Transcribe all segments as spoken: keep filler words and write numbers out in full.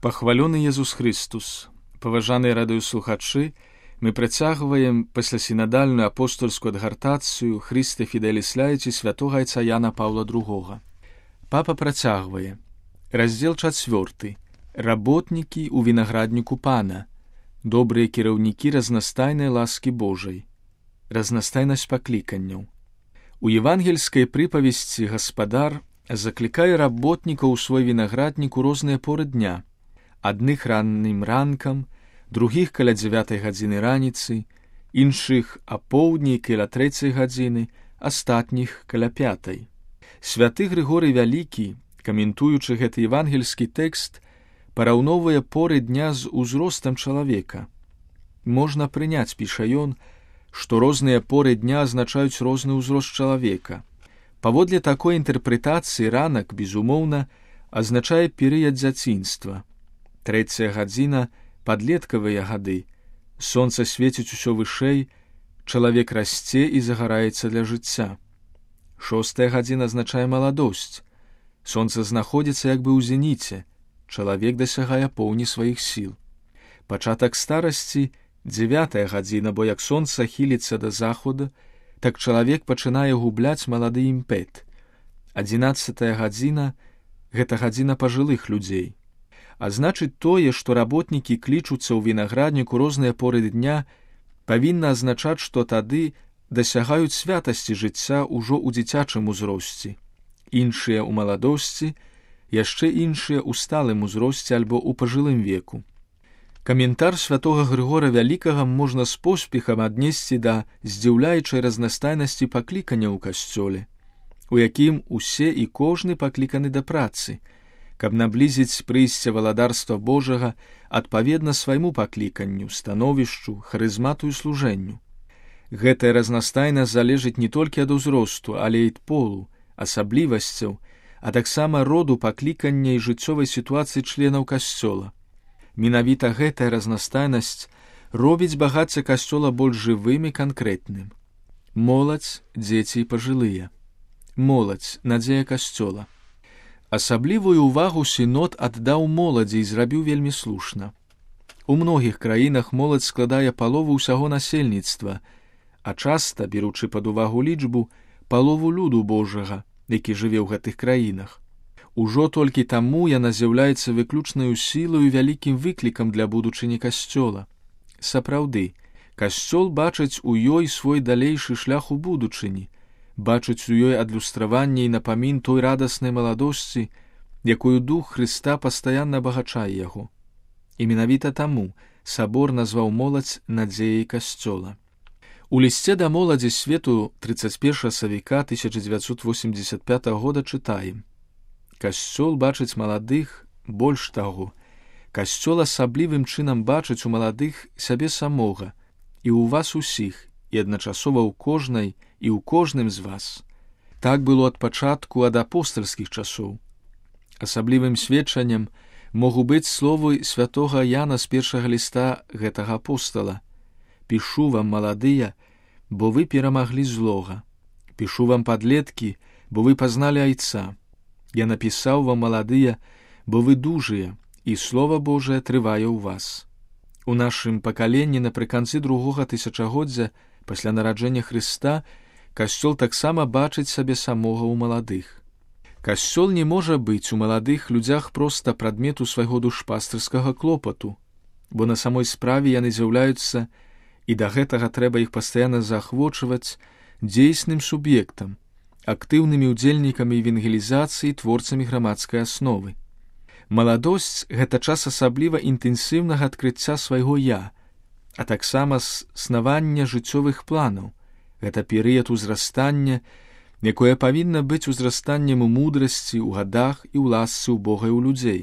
Пахвалёны Езус Христус, паважаныя радыёслухачы, мы працягваем паслясінадальную апостольскую адгартацыю Христе Фіделіс Лаіці святога айца Яна Паўла другога. Папа працягвае. Раздзел чацвёрты. Работнікі ў вінаградніку Пана. Добрыя кіраўнікі разнастайнай ласкі Божай. Разнастайнасць пакліканняў. У евангельскай прыпавесці гаспадар заклікае работнікаў у свой вінаграднік у розныя поры дня. Адных раннім ранкам, другіх каля дзявятай гадзіны раніцы, іншых апоўдні каля трэцяй гадзіны, астатніх каля пятай. Святы Грыгорый Вялікі, каментуючы гэты евангельскі тэкст, параўноўвае поры дня з узростам чалавека. Можна прыняць, піша ён, што розныя поры дня азначаюць розны ўзрост чалавека. Паводле такой інтэрпрэтацыі ранак, безумоўна, азначае перыяд дзяцінства. Трэцяя гадзіна — падлеткавыя гады. Сонца свеціць усё вышэй, чалавек расце і загараецца для жыцця. Шостая гадзіна азначае маладосць. Сонца знаходзіцца як бы ў зеніце, чалавек дасягае поўні сваіх сіл. Пачатак старасці — дзевятая гадзіна, бо як сонца хіліцца да захода, так чалавек пачынае губляць малады імпэт. Адзінаццатая гадзіна — гэта гадзіна пажылых людзей. А значыць, тое, што работнікі клічуцца ў вінаградніку розныя поры дня, павінна азначаць, што тады дасягаюць святасці жыцця ўжо ў дзіцячым узросце. Іншыя ў маладосці, яшчэ іншыя ў сталым узросце альбо ў пажылым веку. Каментар святога Грыгора Вялікага можна з поспехам аднесці да здзіўляючай разнастайнасці паклікання ў касцёле, у якім усе і кожны пакліканы да працы, каб наблізіць прыйсце валадарства Божага адпаведна свайму пакліканню, становішчу, харызмату і служэнню. Гэтая разнастайнасць залежыць не толькі ад узросту, але і ад полу, асаблівасцяў, а таксама роду паклікання і жыццёвай сітуацыі членаў касцёла. Менавіта гэтая разнастайнасць робіць багацце касцёла больш жывым і канкрэтным. Моладзь, дзеці і пажылыя. Моладзь, надзея касцёла. Асаблівую ўвагу сінод аддаў моладзі і зрабіў вельмі слушна. У многіх краінах моладзь складае палову ўсяго насельніцтва, а часта, беручы пад увагу лічбу, палову люду Божага, які жыве ў гэтых краінах. Ужо толькі таму яна з'яўляецца выключнаю сілаю і вялікім выклікам для будучыні касцёла. Сапраўды, касцёл бачыць у ёй свой далейшы шлях у будучыні, бачыць у ёй адлюстраванне і напамін той радаснай маладосці, якую дух Хрыста пастаянна абагачае яго. І менавіта таму сабор назваў моладзь надзеяй касцёла. У лісце да моладзі свету трыццаць першага сакавіка тысяча дзевяцьсот восемдзесят пятага года чытаем: «Касцёл бачыць маладых, больш таго, касцёл асаблівым чынам бачыць у маладых сябе самога і ў вас усіх, і адначасова ў кожнай і ў кожным з вас. Так было ад пачатку, ад апостальскіх часоў. Асаблівым сведчаннем могу быць словы святога Яна з першага ліста гэтага апостала: «Пішу вам, маладыя, бо вы перамаглі злога. Пішу вам, падлеткі, бо вы пазналі айца. Я напісаў вам, маладыя, бо вы дужыя, і Слова Божае трывае ў вас». У нашым пакаленні напрыканцы другога тысячагоддзя пасля нараджэння Хрыста касцёл таксама бачыць сабе самога ў маладых. Касцёл не можа быць у маладых людзях проста прадмету свайго душпастырскага клопату, бо на самой справе яны з'яўляюцца, і да гэтага трэба іх пастаянна заахвочваць, дзейсным суб'ектам, актыўнымі ўдзельнікамі евангелізацыі, творцамі грамадскай асновы. Маладосць — гэта час асабліва інтэнсіўнага адкрыцця свайго «я», а таксама снавання жыццёвых планаў. Гэта перыяд узрастання, якое павінна быць узрастаннем у мудрасці, у гадах і ў ласцы ў Бога і ў людзей.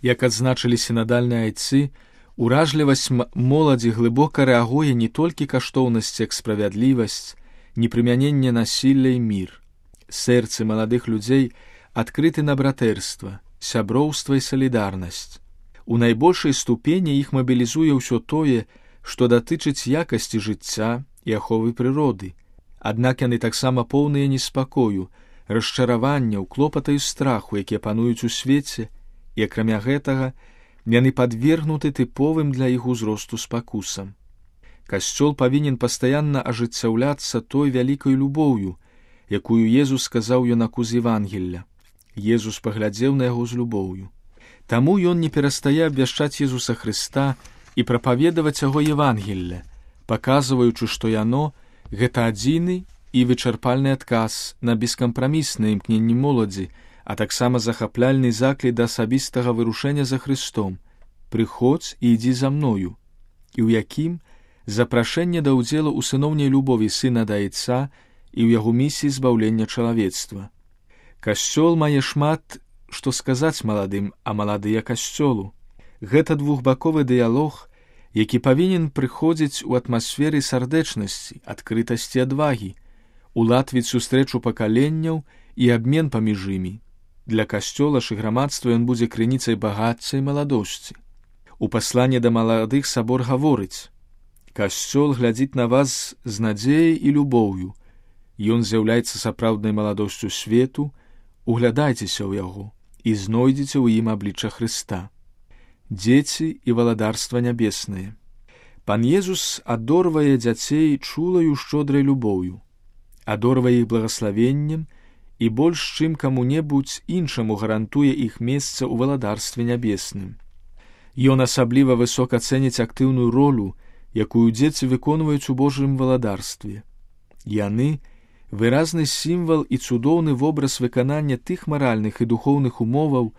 Як адзначылі сінадальныя айцы, уражлівасць моладзі глыбока рэагуе не толькі каштоўнасць як справядлівасць, непрымяненне насілля і мір. Сэрцы маладых людзей адкрыты на братэрства, сяброўства і салідарнасць. У найбольшай ступені іх мабілізуе ўсё тое, што датычыць якасці жыцця і аховы прыроды. Аднак яны таксама поўныя неспакою, расчараванняў, клопата і страху, якія пануюць у свеце, і акрамя гэтага яны падвергнуты тыповым для іх узросту спакусам. Касцёл павінен пастаянна ажыццяўляцца той вялікай любоўю, якую Езус сказаў юнаку з Евангелля. Езус паглядзеў на яго з любоўю. Таму ён не перастае абвяшчаць Езуса Хрыста і прапаведаваць яго Евангелля, паказваючы, што яно — гэта адзіны і вычарпальны адказ на бескампрамісныя імкненні моладзі, а таксама захапляльны заклік да асабістага вырушэння за Хрыстом: «Прыходзь і ідзі за мною», і ў якім запрашэнне да ўдзелу ў сыноўняй любові сына да Айца і ў яго місіі збаўлення чалавецтва. Касцёл мае шмат што сказаць маладым, а маладыя касцёлу. Гэта двухбаковы дыялог, які павінен прыходзіць у атмасферы сардэчнасці, адкрытасці, адвагі, уладвіць сустрэчу пакаленняў і абмен паміж імі. Для касцёла ж і грамадства ён будзе крыніцай багацця і маладосці. У пасланні да маладых сабор гаворыць: «Касцёл глядзіць на вас з надзеяй і любоўю. Ён з'яўляецца сапраўднай маладосцю свету, углядайцеся ў яго і знойдзеце ў ім аблічча Хрыста». Дзеці і валадарства нябеснае. Пан Езус адорвае дзяцей чулаю шчодрай любоўю, адорвае іх благаславеннем і больш чым каму-небудзь іншаму гарантуе іх месца ў валадарстве нябесным. Ён асабліва высока цэніць актыўную ролю, якую дзеці выконваюць у Божым валадарстве. Яны — выразны сімвал і цудоўны вобраз выканання тых маральных і духоўных умоваў,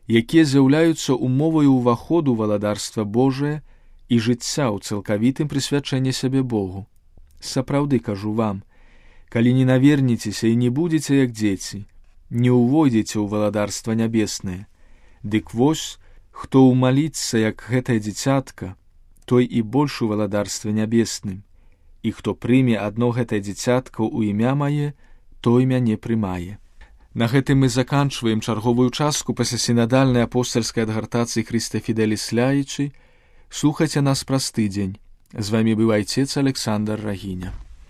якія з'яўляюцца умоваю ўваходу ў валадарства Божае і жыцця ў цалкавітым прысвячэнні сябе Богу. Сапраўды кажу вам, калі не наверніцеся і не будзеце як дзеці, не ўвойдзеце ў валадарства нябеснае. Дык вось, хто ўмаліцца як гэтае дзіцятка, той і больш у валадарстве нябесным, і хто прыме адно гэтае дзіцятка ў імя мае, той мяне прымае. На гэтым мы заканчваем чарговую частку паслясінадальнай апостальскай адгартацыі Хрысте Фіделіс Ляйчы. Слухайце нас праз тыдзень. З вамі быў айцец Александр Рагіня.